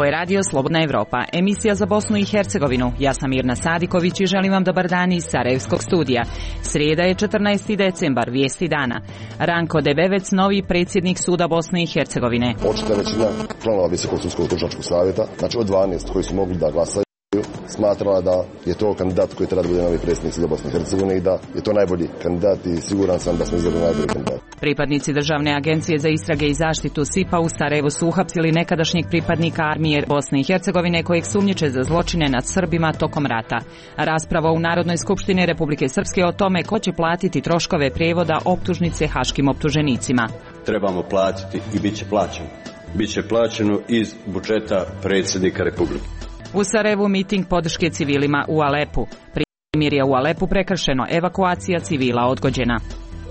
Ovo je radio Slobodna Evropa, emisija za Bosnu i Hercegovinu. Ja sam Mirna Sadiković i želim vam dobar dan iz Sarajevskog studija. Srijeda je 14. decembar, vijesti dana. Ranko Debevec, novi predsjednik Suda Bosne i Hercegovine. Očita većina članova Visokog sudskog tužilačkog savjeta, znači od 12 koji su mogli da glasaju, smatrala da je to kandidat koji treba da bude novi predsjednik Suda Bosne i Hercegovine i da je to najbolji kandidat i siguran sam da smo izabrali najbolji kandidat. Pripadnici Državne agencije za istrage i zaštitu SIPA u Sarajevu su uhapsili nekadašnjeg pripadnika armije Bosne i Hercegovine kojeg sumnjiče za zločine nad Srbima tokom rata. Rasprava u Narodnoj skupštini Republike Srpske o tome ko će platiti troškove prijevoda optužnice haškim optuženicima. Trebamo platiti i bit će plaćeno. Biće plaćeno iz budžeta predsjednika Republike. U Sarajevu miting podrške civilima u Alepu. Primirje u Alepu prekršeno, evakuacija civila odgođena.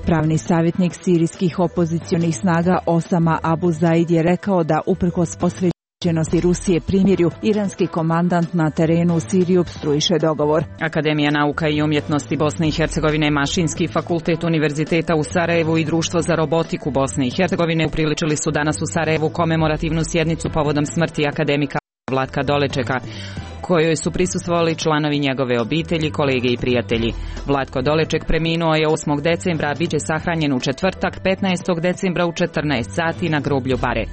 Pravni savjetnik sirijskih opozicionih snaga Osama Abu Zaid je rekao da uprkos posvećenosti Rusije primirju, iranski komandant na terenu u Siriji opstruiše dogovor. Akademija nauka i umjetnosti Bosne i Hercegovine, Mašinski fakultet Univerziteta u Sarajevu i Društvo za robotiku Bosne i Hercegovine upriličili su danas u Sarajevu komemorativnu sjednicu povodom smrti akademika Vlatka Dolečeka, kojoj su prisustvovali članovi njegove obitelji, kolege i prijatelji. Vlatko Doleček preminuo je 8. decembra, a bit će sahranjen u četvrtak 15. decembra u 14 sati na groblju Bare.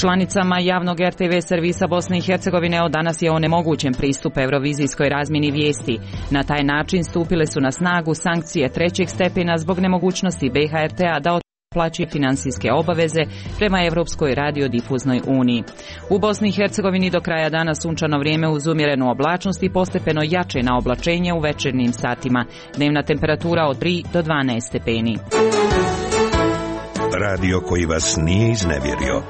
Članicama javnog RTV servisa Bosne i Hercegovine od danas je onemogućen pristup eurovizijskoj razmjeni vijesti. Na taj način stupile su na snagu sankcije trećeg stepena zbog nemogućnosti BHRT-a da plaćuje finansijske obaveze prema Europskoj radiodifuznoj uniji. U Bosni i Hercegovini do kraja dana sunčano vrijeme uz umjerenu oblačnost i postepeno jače na oblačenje u večernjim satima. Dnevna temperatura od 3 do 12 stepeni. Radio koji vas nije iznevjerio.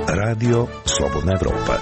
Radio Slobodna Evropa.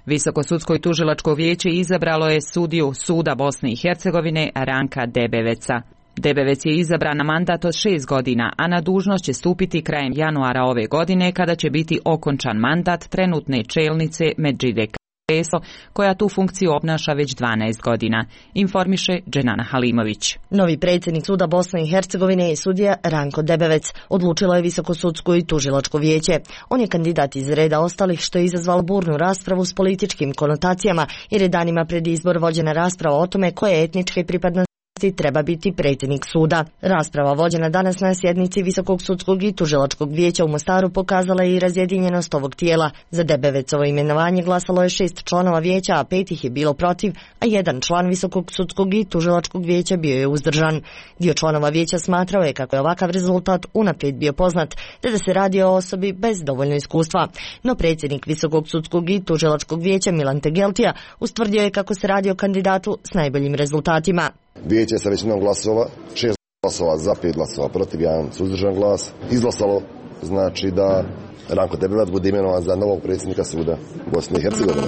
Visoko sudsko i tužilačko vijeće izabralo je sudiju Suda Bosne i Hercegovine Ranka Debeveca. Debevec je izabran na mandat od 6 godina, a na dužnost će stupiti krajem januara ove godine kada će biti okončan mandat trenutne čelnice Medžide Kreso, koja tu funkciju obnaša već 12 godina, informiše Dženana Halimović. Novi predsjednik Suda Bosne i Hercegovine je sudija Ranko Debevec, odlučilo je Visoko sudsko i tužilačko vijeće. On je kandidat iz reda ostalih, što je izazvalo burnu raspravu s političkim konotacijama, jer je danima pred izbor vođena rasprava o tome koje etničke pripadnosti treba biti predsjednik suda. Rasprava vođena danas na sjednici Visokog sudskog i tužilačkog vijeća u Mostaru pokazala je i razjedinjenost ovog tijela. Za Debevecovo imenovanje glasalo je 6 članova vijeća, a 5 ih je bilo protiv, a 1 član Visokog sudskog i tužilačkog vijeća bio je uzdržan. Dio članova vijeća smatrao je kako je ovakav rezultat unaprijed bio poznat, te da se radi o osobi bez dovoljno iskustva. No predsjednik Visokog sudskog i tužilačkog vijeća Milan Tegeltija ustvrdio je kako se radi o kandidatu s najboljim rezultatima. Vijeće sa većinom glasova, 6 glasova za, 5 glasova protiv, 1 suzdržan glas, izglasalo znači da Ranko Debevec bude imenovan za novog predsjednika Suda Bosne i Hercegovine.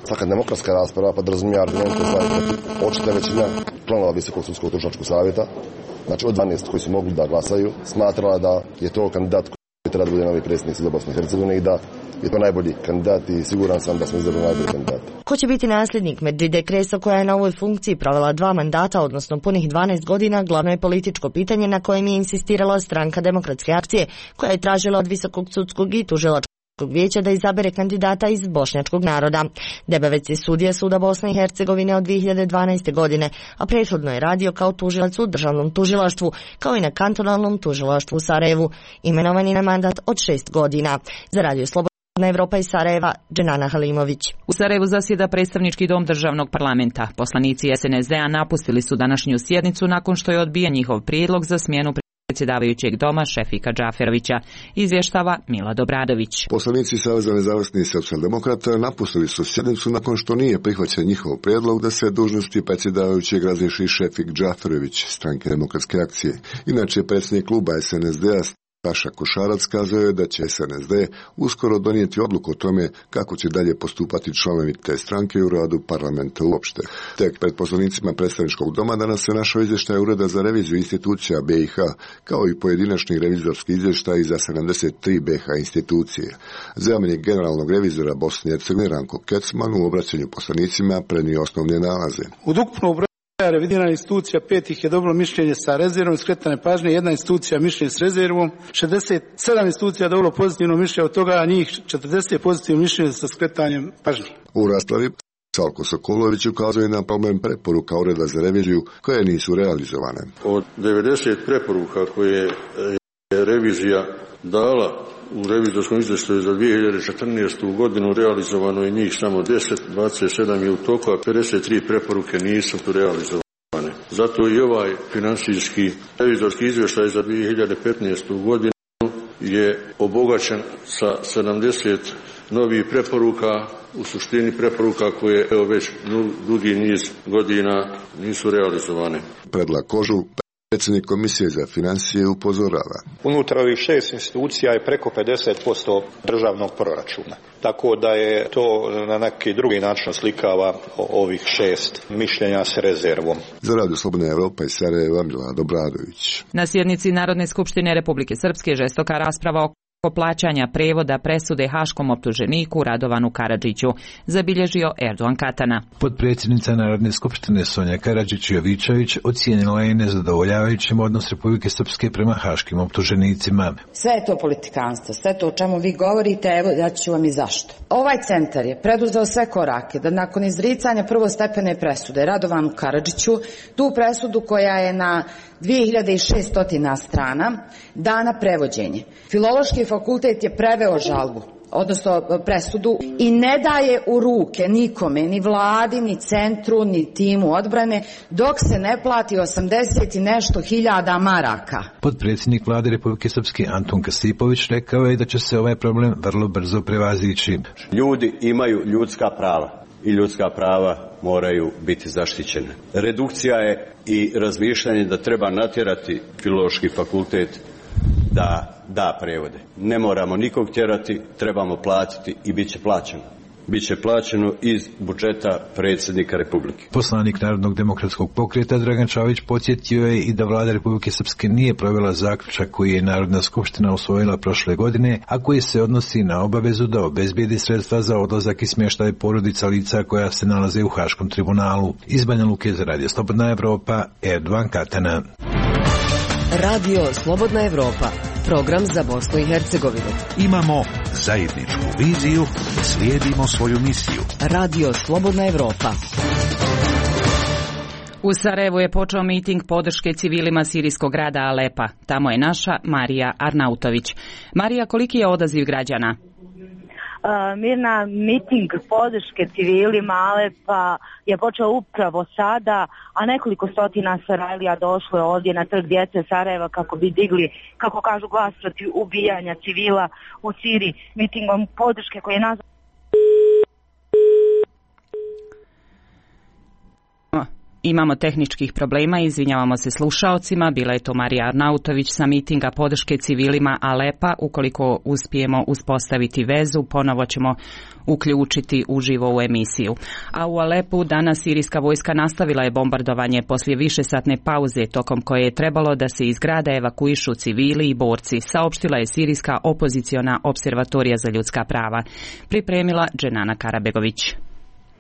Svaka demokratska rasprava podrazumijeva argumente za i protiv. Očita većina članova Visokog sudskog tužilačkog savjeta, znači od 12 koji su mogli da glasaju, smatrala da je to kandidat koji treba da bude novi predsjednik Suda Bosne i Hercegovine i da je to najbolji kandidat i siguran sam da smo izabrali najbolji kandidat. Ko će biti nasljednik Medžide Kreso, koja je na ovoj funkciji provela 2 mandata, odnosno punih 12 godina, glavno je političko pitanje na kojem je insistirala Stranka demokratske akcije, koja je tražila od Visokog sudskog i tužilačkog vijeća da izabere kandidata iz bošnjačkog naroda. Debevec je sudija Suda Bosne i Hercegovine od 2012. godine, a prethodno je radio kao tužilac u državnom tužilaštvu, kao i na kantonalnom tužilaštvu u Sarajevu. Imenovan je na mandat od 6 godina. Za Radio Slobodna Evropa iz Sarajeva, Dženana Halimović. U Sarajevu zasjeda predstavnički dom državnog parlamenta. Poslanici SNSD-a napustili su današnju sjednicu nakon što je odbijen njihov prijedlog za smjenu predsjedavajućeg doma Šefika Džaferovića, izvještava Mila Dobradović. Poslanici Saveza nezavisnih socijaldemokrata napustili su sjednicu nakon što nije prihvaćen njihov prijedlog da se dužnosti predsjedavajućeg razriješi Šefik Džaferović, Stranke demokratske akcije. Inače, predsjednik kluba SNSD-a Saša Košarac kazao je da će SNSD uskoro donijeti odluku o tome kako će dalje postupati članovi te stranke u radu parlamenta uopšte. Tek pred poslanicima predstavničkog doma danas se našao izvještaj Ureda za reviziju institucija BiH, kao i pojedinačni revizorski izvještaj za 73 BiH institucije. Zamjenik generalnog revizora Bosne i Hercegovine Ranko Kecman u obraćanju poslanicima prenio osnovne nalaze. Od ukupnog broja revidirana institucija, 5 ih je dobilo mišljenje sa rezervom skretane pažnje, 1 institucija mišljenje s rezervom, 67 institucija dobilo pozitivno mišljenje, od toga njih 40 pozitivno mišljenje sa skretanjem pažnje. U raspravi Salko Sokolović ukazuje na problem preporuka Ureda za reviziju koje nisu realizovane. Od 90 preporuka koje je revizija dala u revizorskom izvještaju za 2014. godinu realizovano je njih samo 10, 27 je u toku, a 53 preporuke nisu realizovane. Zato i ovaj financijski revizorski izvještaj za 2015. godinu je obogaćen sa 70 novih preporuka, u suštini preporuka koje već dugi niz godina nisu realizovane. Predrag Kožul, predsjednik Komisije za financije, upozorava. Unutar ovih 6 institucija je preko 50% državnog proračuna. Tako da je to na neki drugi način slikava ovih 6 mišljenja s rezervom. Za Radio Slobodna Evropa iz Sarajeva, Milada Obradović. Na sjednici Narodne skupštine Republike Srpske žestoka rasprava oko plaćanja prevoda presude haškom optuženiku Radovanu Karadžiću, zabilježio Erdogan Katana. Potpredsjednica Narodne skupštine Sonja Karadžić-Jovičević ocijenila je nezadovoljavajućim odnos Republike Srpske prema haškim optuženicima. Sve je to politikanstvo, sve to o čemu vi govorite, evo ja ću vam i zašto. Ovaj centar je preduzeo sve korake da nakon izricanja prvostepene presude Radovanu Karadžiću, tu presudu koja je na 2600 strana, dana prevođenje. Filološki fakultet je preveo žalbu, odnosno presudu, i ne daje u ruke nikome, ni vladi, ni centru, ni timu odbrane, dok se ne plati 80 i nešto hiljada maraka. Potpredsjednik vlade Republike Srpske Antun Kasipović rekao je da će se ovaj problem vrlo brzo prevazići. Ljudi imaju ljudska prava i ljudska prava moraju biti zaštićene. Redukcija je i razmišljanje da treba natjerati Filološki fakultet da da prevode. Ne moramo nikog tjerati, trebamo platiti i bit će plaćeno. Biće plaćeno iz budžeta predsjednika Republike. Poslanik Narodnog demokratskog pokreta Dragan Čavić podsjetio je i da vlada Republike Srpske nije provela zaključak koji je Narodna skupština usvojila prošle godine, a koji se odnosi na obavezu da obezbijedi sredstva za odlazak i smještaj porodica lica koja se nalaze u Haškom tribunalu. Iz Banja Luke za Radio Slobodna Evropa, Erdogan Katana. Radio Slobodna Evropa, program za Bosnu i Hercegovinu. Imamo zajedničku viziju, slijedimo svoju misiju. Radio Slobodna Evropa. U Sarajevu je počeo miting podrške civilima sirijskog grada Alepa. Tamo je naša Marija Arnautović. Marija, koliki je odaziv građana? Mirna, miting podrške civilima Alepa je počeo upravo sada, a nekoliko stotina Sarajlija došlo je ovdje na trg djece Sarajeva kako bi digli, kako kažu, glas protiv ubijanja civila u Siriji. Mitingom podrške koji je nazvan... Imamo tehničkih problema, izvinjavamo se slušaocima. Bila je to Marija Arnautović sa mitinga podrške civilima Alepa. Ukoliko uspijemo uspostaviti vezu, ponovo ćemo uključiti uživo u emisiju. A u Alepu danas sirijska vojska nastavila je bombardovanje poslije višesatne pauze tokom koje je trebalo da se iz grada evakuišu civili i borci, saopštila je sirijska opoziciona observatorija za ljudska prava. Pripremila Dženana Karabegović.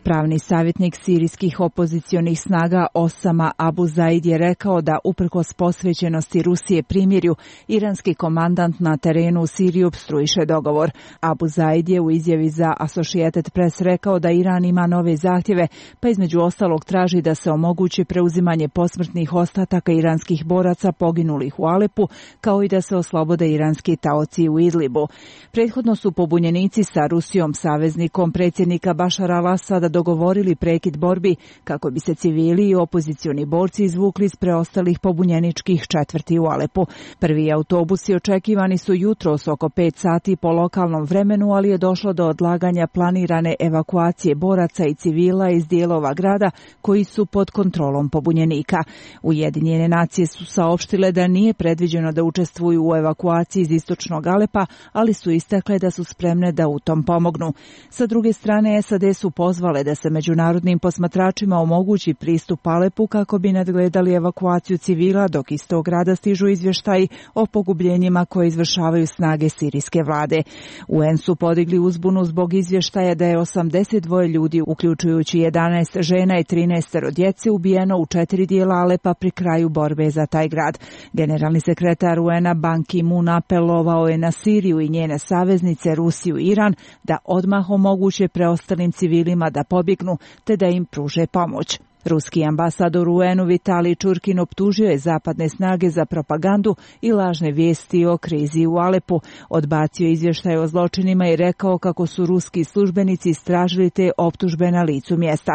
Pravni savjetnik sirijskih opozicionih snaga Osama Abu Zaid je rekao da uprkos posvećenosti Rusije primirju, iranski komandant na terenu u Siriji opstruiše dogovor. Abu Zaid je u izjavi za Associated Press rekao da Iran ima nove zahtjeve, pa između ostalog traži da se omogući preuzimanje posmrtnih ostataka iranskih boraca poginulih u Alepu, kao i da se oslobode iranski taoci u Idlibu. Prethodno su pobunjenici sa Rusijom saveznikom predsjednika Bašara al-Asada dogovorili prekid borbi kako bi se civili i opozicioni borci izvukli iz preostalih pobunjeničkih četvrti u Alepu. Prvi autobusi očekivani su jutros oko 5 sati po lokalnom vremenu, ali je došlo do odlaganja planirane evakuacije boraca i civila iz dijelova grada koji su pod kontrolom pobunjenika. Ujedinjene nacije su saopštile da nije predviđeno da učestvuju u evakuaciji iz istočnog Alepa, ali su istakle da su spremne da u tom pomognu. Sa druge strane, SAD su pozvale je da se međunarodnim posmatračima omogući pristup Alepu kako bi nadgledali evakuaciju civila, dok iz tog grada stižu izvještaji o pogubljenjima koje izvršavaju snage sirijske vlade. UN su podigli uzbunu zbog izvještaja da je 82 ljudi, uključujući 11 žena i 13 djece, ubijeno u 4 dijela Alepa pri kraju borbe za taj grad. Generalni sekretar UN-a Ban Ki-moon apelovao je na Siriju i njene saveznice Rusiju i Iran da odmah omoguće preostalim civilima da pobjegnu te da im pruže pomoć. Ruski ambasador u UN-u Vitalij Čurkin optužio je zapadne snage za propagandu i lažne vijesti o krizi u Alepu. Odbacio izvještaj o zločinima i rekao kako su ruski službenici istražili te optužbe na licu mjesta.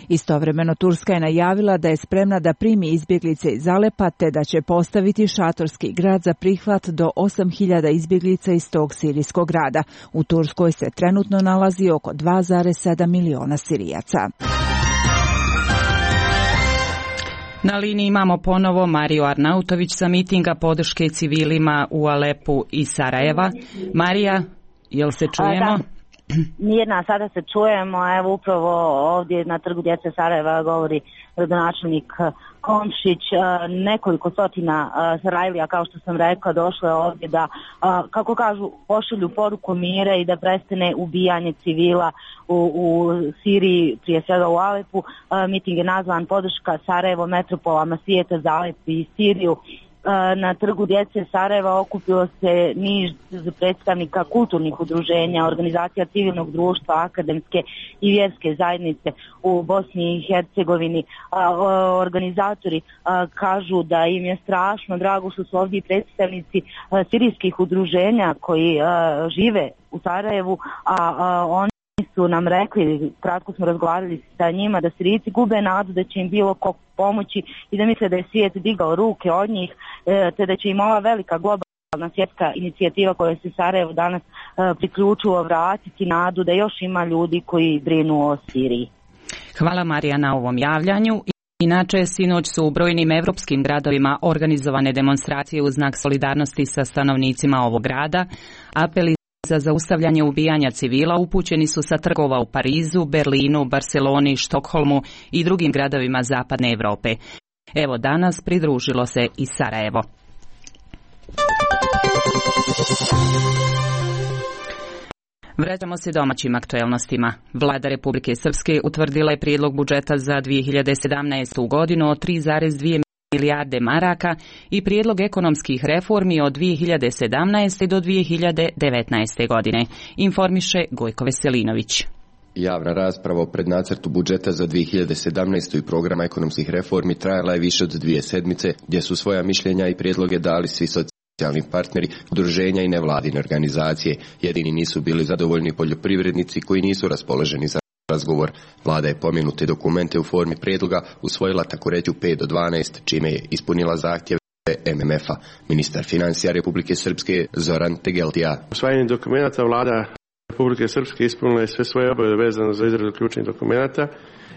Istovremeno Turska je najavila da je spremna da primi izbjeglice iz Alepa te da će postaviti šatorski grad za prihvat do 8.000 izbjeglica iz tog sirijskog grada. U Turskoj se trenutno nalazi oko 2,7 miliona Sirijaca. Na liniji imamo ponovo Mariju Arnautović sa mitinga podrške civilima u Alepu i Sarajeva. Marija, jel se čujemo? Mirna, sada se čujemo. Evo upravo ovdje na Trgu djece Sarajeva govori gradonačelnik Komšić. Nekoliko stotina Sarajlija, kao što sam rekla, došlo je ovdje da, kako kažu, pošalju poruku mira i da prestane ubijanje civila u Siriji, prije svega u Alepu. Miting je nazvan podrška Sarajevo metropolama svijeta za Alep i Siriju. Na Trgu djece Sarajeva okupilo se niz predstavnika kulturnih udruženja, organizacija civilnog društva, akademske i vjerske zajednice u Bosni i Hercegovini. Organizatori kažu da im je strašno drago što su ovdje predstavnici sirijskih udruženja koji žive u Sarajevu, a oni su nam rekli, kratko smo razgovarali sa njima, da Sirijci gube nadu da će im bilo ko pomoći i da misle da je svijet digao ruke od njih, te da će im ova velika globalna svjetska inicijativa koja se Sarajevo danas priključila vratiti nadu da još ima ljudi koji brinu o Siriji. Hvala Marija na ovom javljanju. Inače, sinoć su u brojnim evropskim gradovima organizovane demonstracije u znak solidarnosti sa stanovnicima ovog grada. Apeli za zaustavljanje ubijanja civila upućeni su sa trgova u Parizu, Berlinu, Barceloni, Štokholmu i drugim gradovima zapadne Europe. Evo danas pridružilo se i Sarajevo. Vraćamo se domaćim aktuelnostima. Vlada Republike Srpske utvrdila je prijedlog budžeta za 2017. godinu od 3,2 milijarde maraka i prijedlog ekonomskih reformi od 2017. do 2019. godine, informiše Gojko Veselinović. Javna rasprava o prednacrtu budžeta za 2017. i programa ekonomskih reformi trajala je više od 2 sedmice, gdje su svoja mišljenja i prijedloge dali svi socijalni partneri, udruženja i nevladine organizacije. Jedini nisu bili zadovoljni poljoprivrednici koji nisu raspoloženi za razgovor. Vlada je pomenute dokumente u formi prijedloga usvojila tako reći u 5 do 12, čime je ispunila zahtjeve MMF-a. Ministar financija Republike Srpske Zoran Tegeltija. Usvajanjem dokumenta Vlada Republike Srpske ispunila je sve svoje obaveze vezano za izradu ključnih dokumenata,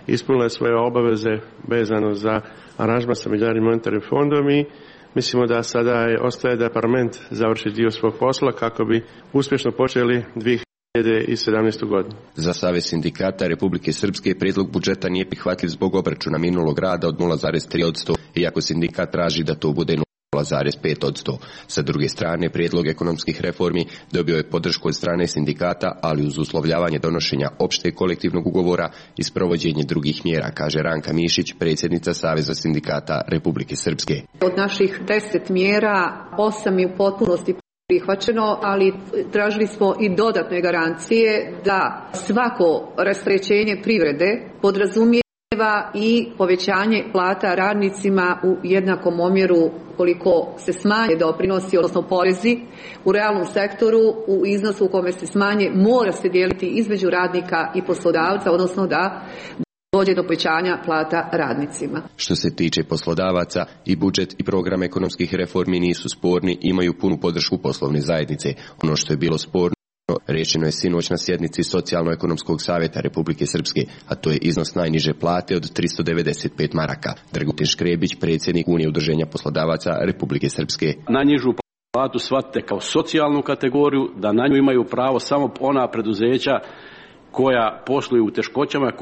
ispunila je svoje obaveze vezano za aranžman sa Međunarodnim monetarnim fondom i mislimo da sada ostaje da parlament završi dio svog posla kako bi uspješno počeli 2017. godinu. Za Savez sindikata Republike Srpske prijedlog budžeta nije prihvatljiv zbog obračuna minulog rada od 0,3%, iako sindikat traži da to bude 0,5%. Sa druge strane, prijedlog ekonomskih reformi dobio je podršku od strane sindikata, ali uz uslovljavanje donošenja opšteg kolektivnog ugovora i sprovođenje drugih mjera, kaže Ranka Mišić, predsjednica Saveza sindikata Republike Srpske. Od naših 10 mjera, 8 je u potpunosti prihvaćeno, ali tražili smo i dodatne garancije da svako rasterećenje privrede podrazumijeva i povećanje plata radnicima u jednakom omjeru koliko se smanje doprinosi, odnosno porezi u realnom sektoru u iznosu u kome se smanje mora se dijeliti između radnika i poslodavca, odnosno da dođe do povećanja plata radnicima. Što se tiče poslodavaca, i budžet i program ekonomskih reformi nisu sporni, imaju punu podršku poslovne zajednice. Ono što je bilo sporno rečeno je sinoć na sjednici Socijalno-ekonomskog savjeta Republike Srpske, a to je iznos najniže plate od 395 maraka. Dragutin Škrebić, predsjednik Unije udruženja poslodavaca Republike Srpske. Najnižu platu shvatite kao socijalnu kategoriju, da na nju imaju pravo samo ona preduzeća koja posluju u teškoćama,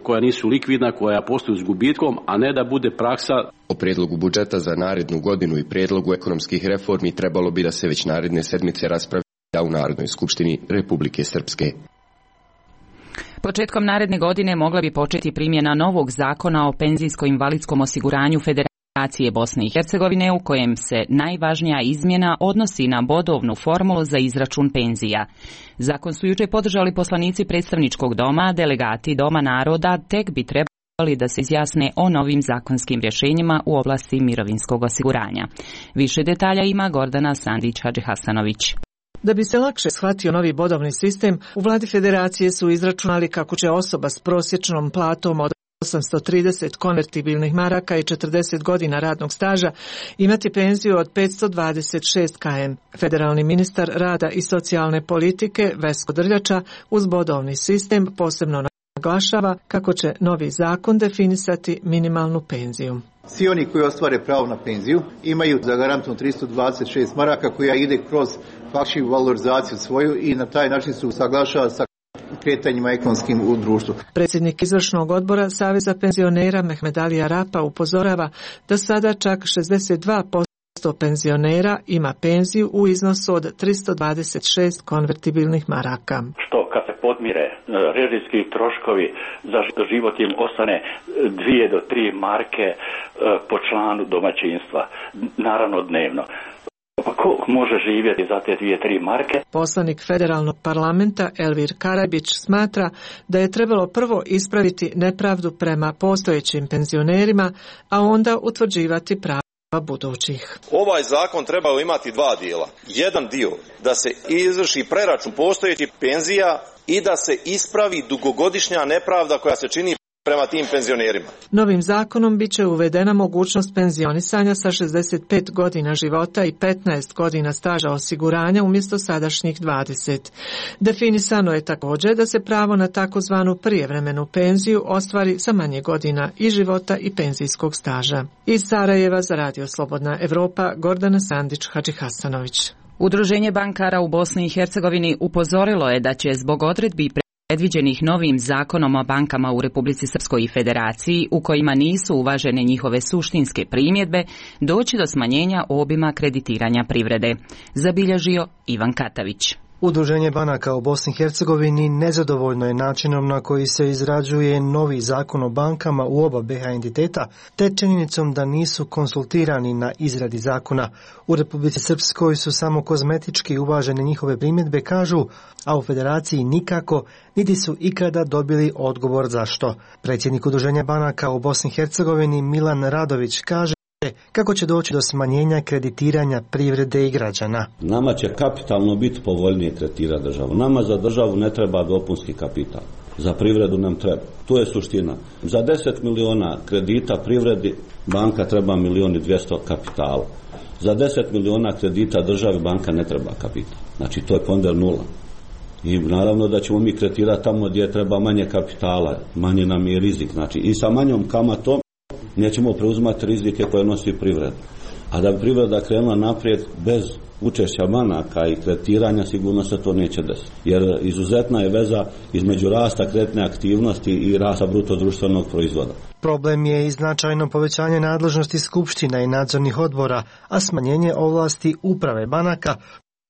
koja nisu likvidna, koja posluju s gubitkom, a ne da bude praksa. O prijedlogu budžeta za narednu godinu i prijedlogu ekonomskih reformi trebalo bi da se već naredne sedmice raspravlja u Narodnoj skupštini Republike Srpske. Početkom naredne godine mogla bi početi primjena novog zakona o penzijsko-invalidskom osiguranju Federacije Bosne i Hercegovine, u kojem se najvažnija izmjena odnosi na bodovnu formulu za izračun penzija. Zakon su jučer podržali poslanici predstavničkog doma, delegati Doma naroda, tek bi trebali da se izjasne o novim zakonskim rješenjima u oblasti mirovinskog osiguranja. Više detalja ima Gordana Sandić-Hadžihasanović. Da bi se lakše shvatio novi bodovni sistem, u vladi Federacije su izračunali kako će osoba s prosječnom platom od 830 konvertibilnih maraka i 40 godina radnog staža imati penziju od 526 km. Federalni ministar rada i socijalne politike Vesko Drljača uz bodovni sistem posebno naglašava kako će novi zakon definisati minimalnu penziju. Svi oni koji ostvare pravo na penziju imaju zagarantovano 326 maraka koja ide kroz faktičku valorizaciju svoju i na taj način se usaglašava sa kretanjima ekonomskim u društvu. Predsjednik izvršnog odbora Saveza penzionera Mehmed Ali Arapa upozorava da sada čak 62% penzionera ima penziju u iznosu od 326 konvertibilnih maraka. Što kad se podmire režijski troškovi za život im ostane 2 do 3 marke po članu domaćinstva, naravno dnevno. Pa ko može živjeti za te 2-3 marke? Poslanik federalnog parlamenta Elvir Karabić smatra da je trebalo prvo ispraviti nepravdu prema postojećim penzionerima, a onda utvrđivati prava budućih. Ovaj zakon trebao imati 2 dijela. Jedan dio da se izvrši preračun postojećih penzija i da se ispravi dugogodišnja nepravda koja se čini prema tim penzionerima. Novim zakonom biće uvedena mogućnost penzionisanja sa 65 godina života i 15 godina staža osiguranja umjesto sadašnjih 20. Definisano je također da se pravo na takozvanu prijevremenu penziju ostvari sa manje godina i života i penzijskog staža. Iz Sarajeva za Radio Slobodna Evropa, Gordana Sandić-Hadžihasanović. Udruženje bankara u Bosni i Hercegovini upozorilo je da će zbog odredbi predviđenih novim zakonom o bankama u Republici Srpskoj i Federaciji, u kojima nisu uvažene njihove suštinske primjedbe, doći do smanjenja obima kreditiranja privrede, zabilježio Ivan Katavić. Udruženje banaka u Bosni i Hercegovini nezadovoljno je načinom na koji se izrađuje novi zakon o bankama u oba BiH entiteta, te činjenicom da nisu konsultirani na izradi zakona. U Republici Srpskoj su samo kozmetički uvažene njihove primjedbe, kažu, a u Federaciji nikako, niti su ikada dobili odgovor zašto. Predsjednik Udruženja banaka u Bosni i Hercegovini Milan Radović kaže kako će doći do smanjenja kreditiranja privrede i građana. Nama će kapitalno biti povoljnije kreditirati državu. Nama za državu ne treba dopunski kapital. Za privredu nam treba. To je suština. Za 10 miliona kredita privredi banka treba 1.200.000 kapitala. Za 10 miliona kredita državi banka ne treba kapital. Znači to je ponder 0. I naravno da ćemo mi kreditirati tamo gdje treba manje kapitala, manje nam je rizik. Znači i sa manjom kamatom nećemo preuzimati rizike koje nosi privreda. A da bi privreda krenula naprijed bez učešća banaka i kreditiranja, sigurno se to neće desiti. Jer izuzetna je veza između rasta kreditne aktivnosti i rasta bruto društvenog proizvoda. Problem je i značajno povećanje nadležnosti skupština i nadzornih odbora, a smanjenje ovlasti uprave banaka,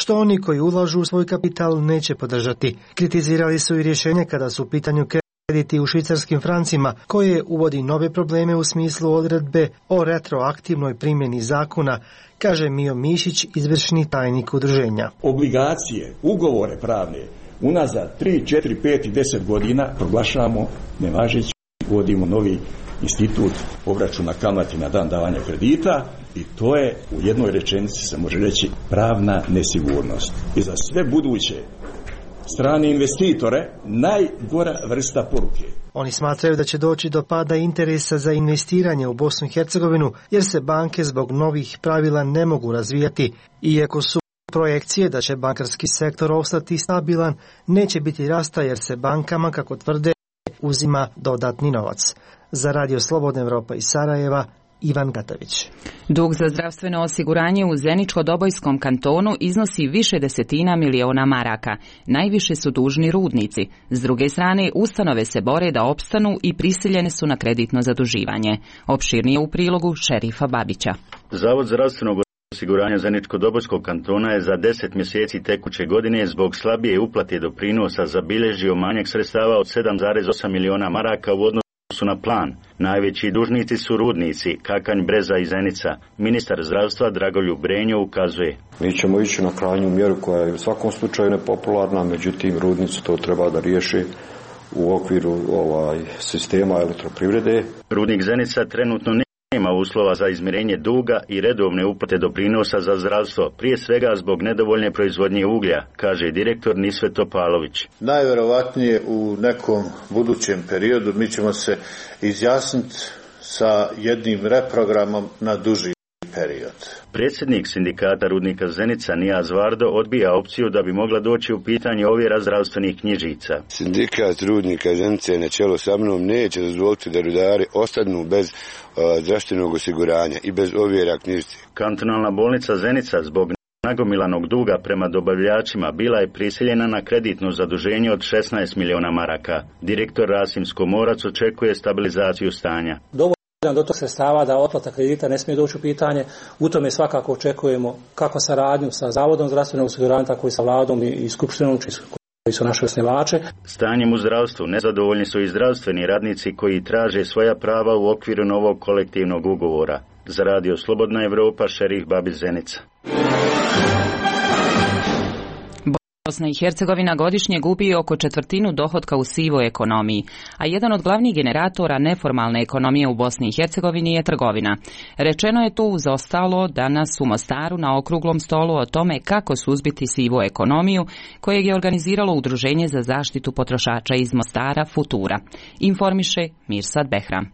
što oni koji ulažu u svoj kapital neće podržati. Kritizirali su i rješenje kada su u pitanju krediti u švicarskim francima, koje uvodi nove probleme u smislu odredbe o retroaktivnoj primjeni zakona, kaže Mio Mišić, izvršni tajnik udruženja. Obligacije, ugovore pravne, unazad 3, 4, 5 i 10 godina proglašavamo nevažeći, uvodimo novi institut obračuna kamati na dan davanja kredita i to je u jednoj rečenici se može reći pravna nesigurnost. I za sve buduće strane investitore najgora vrsta poruke. Oni smatraju da će doći do pada interesa za investiranje u Bosnu i Hercegovinu, jer se banke zbog novih pravila ne mogu razvijati. Iako su projekcije da će bankarski sektor ostati stabilan, neće biti rasta jer se bankama, kako tvrde, uzima dodatni novac. Za Radio Slobodna Evropa iz Sarajeva, Ivan Gatavić. Dug za zdravstveno osiguranje u Zeničko-Dobojskom kantonu iznosi više desetina miliona maraka. Najviše su dužni rudnici. S druge strane, ustanove se bore da opstanu i prisiljene su na kreditno zaduživanje. Opširnije u prilogu Šerifa Babića. Zavod zdravstvenog osiguranja Zeničko-Dobojskog kantona je za 10 mjeseci tekuće godine zbog slabije uplate doprinosa zabilježio manjak sredstava od 7,8 miliona maraka u odnosu na plan. Najveći dužnici su rudnici Kakanj, Breza i Zenica. Ministar zdravstva Dragoljub Brenjo ukazuje: mi ćemo ići na krajnju mjeru koja je u svakom slučaju nepopularna, međutim rudnici to treba da riješi u okviru sistema elektroprivrede. Rudnik Zenica trenutno nema uslova za izmirenje duga i redovne uplate doprinosa za zdravstvo, prije svega zbog nedovoljne proizvodnje uglja, kaže direktor Nisvet Topalović. Najvjerovatnije u nekom budućem periodu mi ćemo se izjasniti sa jednim reprogramom na duži period. Predsjednik sindikata rudnika Zenica Nijaz Vardo odbija opciju da bi mogla doći u pitanje ovjera zdravstvenih knjižica. Sindikat rudnika Zenice na čelu sa mnom neće dozvoliti da rudari ostanu bez zdravstvenog osiguranja i bez ovjera knjižice. Kantonalna bolnica Zenica zbog nagomilanog duga prema dobavljačima bila je prisiljena na kreditno zaduženje od 16 miliona maraka. Direktor Rasim Skomorac očekuje stabilizaciju stanja. Do tog sredstava da otplata kredita ne smije doći u pitanje. U tome svakako očekujemo kako saradnju sa Zavodom zdravstvenog osiguranja, tako i sa vladom i skupštinom koji su naši osnivače. Stanjem u zdravstvu nezadovoljni su i zdravstveni radnici koji traže svoja prava u okviru novog kolektivnog ugovora. Za Radio Slobodna Evropa, Šerif Babić, Zenica. Bosna i Hercegovina godišnje gubi oko četvrtinu dohotka u sivoj ekonomiji, a jedan od glavnih generatora neformalne ekonomije u Bosni i Hercegovini je trgovina. Rečeno je tu uz ostalo danas u Mostaru na okruglom stolu o tome kako suzbiti sivu ekonomiju, kojeg je organiziralo Udruženje za zaštitu potrošača iz Mostara Futura. Informiše Mirsad Behram.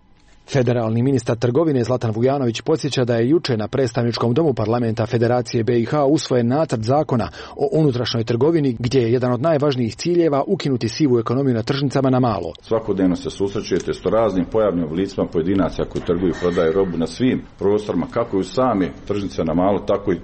Federalni ministar trgovine Zlatan Vujanović podsjeća da je juče na predstavničkom domu parlamenta Federacije BiH usvojen nacrt zakona o unutrašnjoj trgovini gdje je jedan od najvažnijih ciljeva ukinuti sivu ekonomiju na tržnicama na malo. Svakodnevno se susrećete s raznim pojavnim oblicima pojedinaca koji trguju i prodaju robu na svim prostorima, kako i u same tržnice na malo, tako i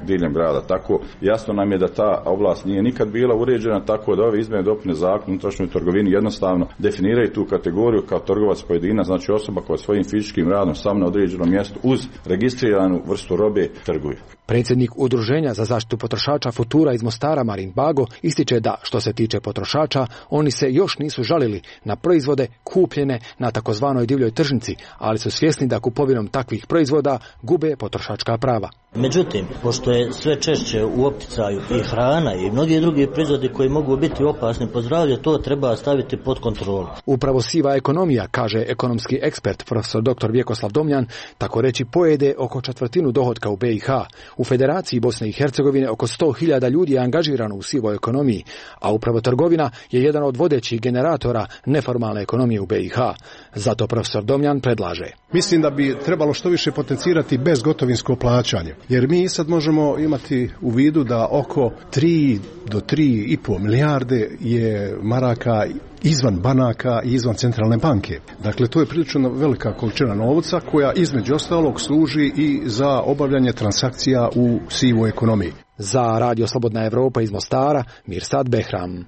diljem grada. Tako jasno nam je da ta oblast nije nikad bila uređena, tako da ove izmjene i dopune zakona o unutrašnjoj trgovini jednostavno definiraju tu kategoriju kao trgovac pojedinac, znači osoba koja svojim fizičkim radom sam na određenom mjestu uz registriranu vrstu robe trguje. Predsjednik Udruženja za zaštitu potrošača Futura iz Mostara Marin Bago ističe da, što se tiče potrošača, oni se još nisu žalili na proizvode kupljene na takozvanoj divljoj tržnici, ali su svjesni da kupovinom takvih proizvoda gube potrošačka prava. Međutim, pošto je sve češće u opticaju i hrana i mnogi drugi proizvodi koji mogu biti opasni po zdravlje, to treba staviti pod kontrolu. Upravo siva ekonomija, kaže ekonomski ekspert profesor dr. Vjekoslav Domljan, tako reći pojede oko četvrtinu dohotka u BiH. U Federaciji Bosne i Hercegovine oko 100.000 ljudi je angažirano u sivoj ekonomiji, a upravo trgovina je jedan od vodećih generatora neformalne ekonomije u BiH. Zato profesor Domljan predlaže: mislim da bi trebalo što više potencirati bezgotovinsko plaćanje, jer mi sad možemo imati u vidu da oko 3 do 3,5 milijarde je maraka izvan banaka i izvan centralne banke. Dakle, to je prilično velika količina novca koja između ostalog služi i za obavljanje transakcija u sivoj ekonomiji. Za Radio Slobodna Evropa iz Mostara, Mirsad Behram.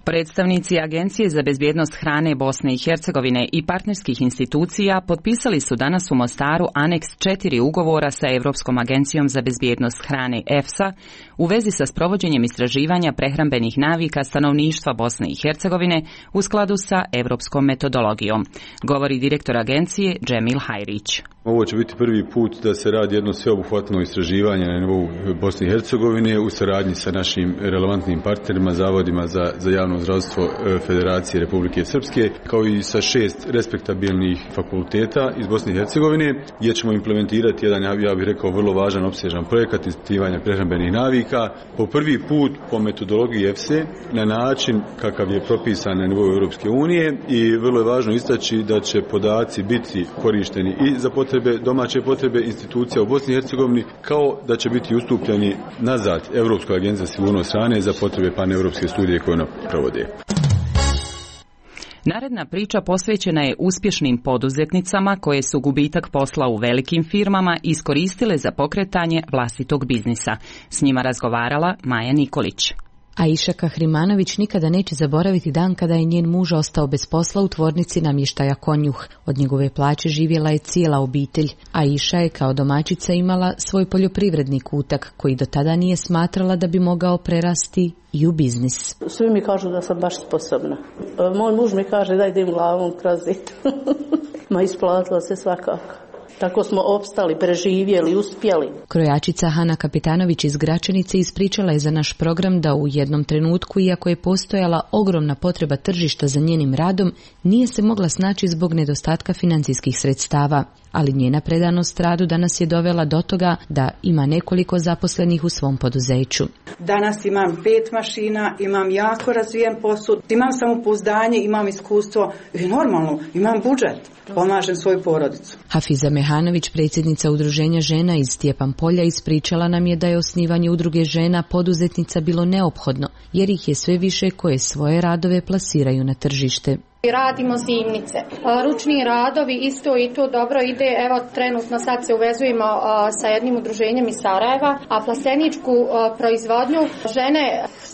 Predstavnici Agencije za bezbjednost hrane Bosne i Hercegovine i partnerskih institucija potpisali su danas u Mostaru aneks 4 ugovora sa Europskom agencijom za bezbjednost hrane EFSA u vezi sa sprovođenjem istraživanja prehrambenih navika stanovništva Bosne i Hercegovine u skladu sa europskom metodologijom, govori direktor agencije Džemil Hajrić. Ovo će biti prvi put da se radi jedno sveobuhvatno istraživanje na nivou Bosne i Hercegovine u saradnji sa našim relevantnim partnerima, zavodima za javno zdravstvo Federacije Republike Srpske, kao i sa 6 respektabilnih fakulteta iz Bosne i Hercegovine, gdje ćemo implementirati jedan, ja bih rekao, vrlo važan opsežan projekat ispitivanja prehrambenih navika po prvi put po metodologiji EFSE na način kakav je propisan na nivou Europske unije, i vrlo je važno istaći da će podaci biti korišteni i za domaće potrebe institucija u Bosni i Hercegovini, kao da će biti ustupljeni nazad Europskoj agenciji za sigurnost hrane za potrebe paneuropske studije koje ona provode. Naredna priča posvećena je uspješnim poduzetnicama koje su gubitak posla u velikim firmama iskoristile za pokretanje vlastitog biznisa. S njima razgovarala Maja Nikolić. Aisha Kahrimanović nikada neće zaboraviti dan kada je njen muž ostao bez posla u tvornici namještaja Konjuh. Od njegove plaće živjela je cijela obitelj. Aisha je kao domaćica imala svoj poljoprivredni kutak koji do tada nije smatrala da bi mogao prerasti i u biznis. Svi mi kažu da sam baš sposobna. Moj muž mi kaže da idem glavom kroz zid. Ma isplatilo se svakako. Tako smo opstali, preživjeli, uspjeli. Krojačica Hana Kapitanović iz Gračanice ispričala je za naš program da u jednom trenutku, iako je postojala ogromna potreba tržišta za njenim radom, nije se mogla snaći zbog nedostatka financijskih sredstava. Ali njena predanost radu danas je dovela do toga da ima nekoliko zaposlenih u svom poduzeću. Danas imam 5 mašina, imam jako razvijen posud, imam samopouzdanje, imam iskustvo i normalno, imam budžet. Pomažem svoju porodicu. Hafiza Mehanović, predsjednica Udruženja žena iz Stjepan Polja, ispričala nam je da je osnivanje udruge žena poduzetnica bilo neophodno, jer ih je sve više koje svoje radove plasiraju na tržište. Radimo zimnice. Ručni radovi isto i to dobro ide. Evo trenutno sad se uvezujemo sa jednim udruženjem iz Sarajeva, a plasteničku proizvodnju žene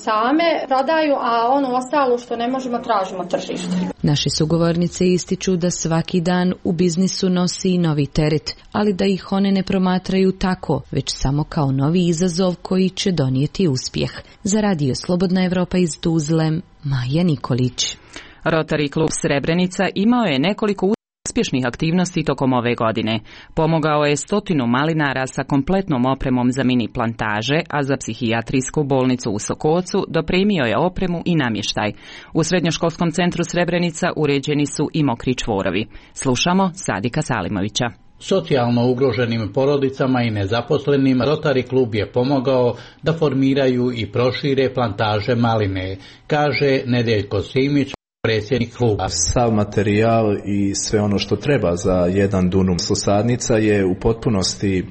same prodaju, a ono ostalo što ne možemo tražimo tržište. Naše sugovornice ističu da svaki dan u biznisu nosi i novi teret, ali da ih one ne promatraju tako, već samo kao novi izazov koji će donijeti uspjeh. Za Radio Slobodna Evropa iz Tuzle, Maja Nikolić. Rotary klub Srebrenica imao je nekoliko uspješnih aktivnosti tokom ove godine. Pomogao je 100 malinara sa kompletnom opremom za mini plantaže, a za psihijatrijsku bolnicu u Sokocu dopremio je opremu i namještaj. U srednjoškolskom centru Srebrenica uređeni su i mokri čvorovi. Slušamo Sadika Salimovića. Socijalno ugroženim porodicama i nezaposlenim Rotary klub je pomogao da formiraju i prošire plantaže maline, kaže Nedeljko Simić, predsjednik kluba. Sav materijal i sve ono što treba za jedan dunum sadnica je u potpunosti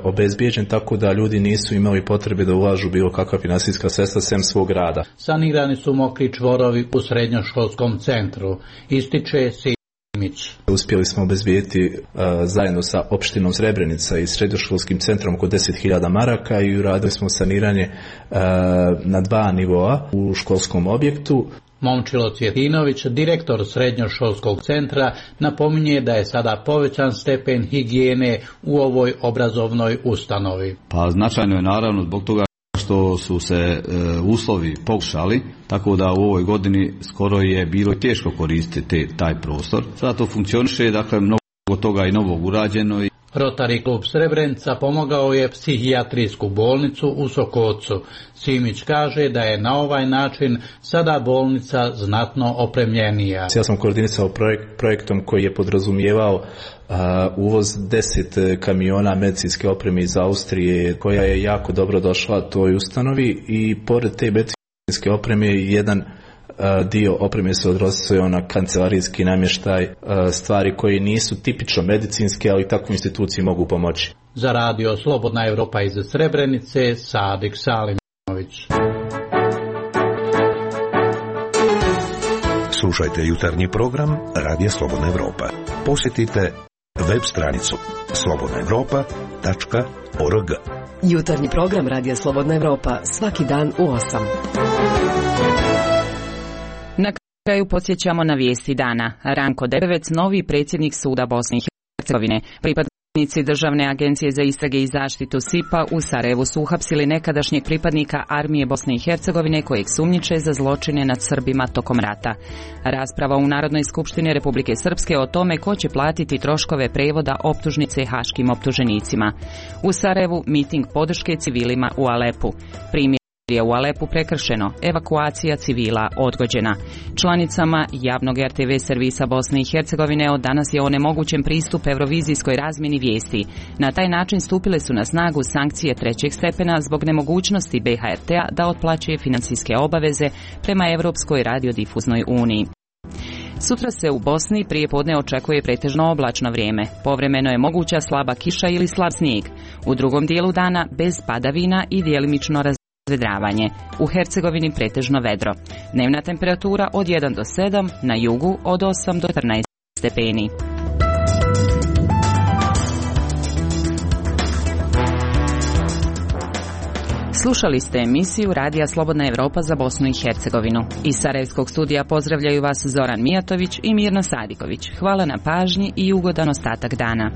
obezbijeđen, tako da ljudi nisu imali potrebe da ulažu bilo kakva finansijska sredstva sem svog rada. Sanirani su mokri čvorovi u srednjoškolskom centru, ističe Simić. Uspjeli smo obezbijeti zajedno sa opštinom Srebrenica i srednjoškolskim centrom oko 10.000 maraka i uradili smo saniranje na 2 nivoa u školskom objektu. Momčilo Cvjetinović, direktor srednjoškolskog centra, napominje da je sada povećan stepen higijene u ovoj obrazovnoj ustanovi. Pa značajno je naravno zbog toga što su se uslovi pogoršali, tako da u ovoj godini skoro je bilo teško koristiti taj prostor. Sada to funkcioniše, dakle mnogo toga i novog urađeno. Rotary klub Srebrenica pomogao je psihijatrijsku bolnicu u Sokocu. Simić kaže da je na ovaj način sada bolnica znatno opremljenija. Ja sam koordinisao projektom koji je podrazumijevao uvoz 10 kamiona medicinske opreme iz Austrije, koja je jako dobro došla toj ustanovi, i pored te medicinske opreme jedan dio opreme se odnosio na kancelarijski namještaj, stvari koje nisu tipično medicinske, ali takvu instituciji mogu pomoći. Za Radio Slobodna Evropa iz Srebrenice, Sadik Salimović. Slušajte jutarnji program Radio Slobodna Evropa. Posjetite web stranicu slobodnaevropa.org. Jutarnji program Radio Slobodna Evropa svaki dan u 8. Na kraju podsjećamo na vijesti dana. Ranko Debevec, novi predsjednik suda Bosne i Hercegovine. Pripadnici Državne agencije za istrage i zaštitu SIP-a u Sarajevu su uhapsili nekadašnjeg pripadnika armije Bosne i Hercegovine kojeg sumnjiče za zločine nad Srbima tokom rata. Rasprava u Narodnoj skupštini Republike Srpske o tome ko će platiti troškove prevoda optužnice haškim optuženicima. U Sarajevu miting podrške civilima u Alepu. Je u Alepu prekršeno, evakuacija civila odgođena. Članicama javnog RTV servisa Bosne i Hercegovine od danas je onemogućen pristup eurovizijskoj razmjeni vijesti. Na taj način stupile su na snagu sankcije 3. stepena zbog nemogućnosti BHRT-a da otplaćuje financijske obaveze prema Europskoj radiodifuznoj uniji. Sutra se u Bosni prije podne očekuje pretežno oblačno vrijeme. Povremeno je moguća slaba kiša ili slab snijeg. U drugom dijelu dana bez padavina i djelimično razvedravanje. U Hercegovini pretežno vedro. Dnevna temperatura od 1 do 7, na jugu od 8 do 14 stepeni. Slušali ste emisiju Radija Slobodna Evropa za Bosnu i Hercegovinu. Iz Sarajevskog studija pozdravljaju vas Zoran Mijatović i Mirno Sadiković. Hvala na pažnji i ugodan ostatak dana.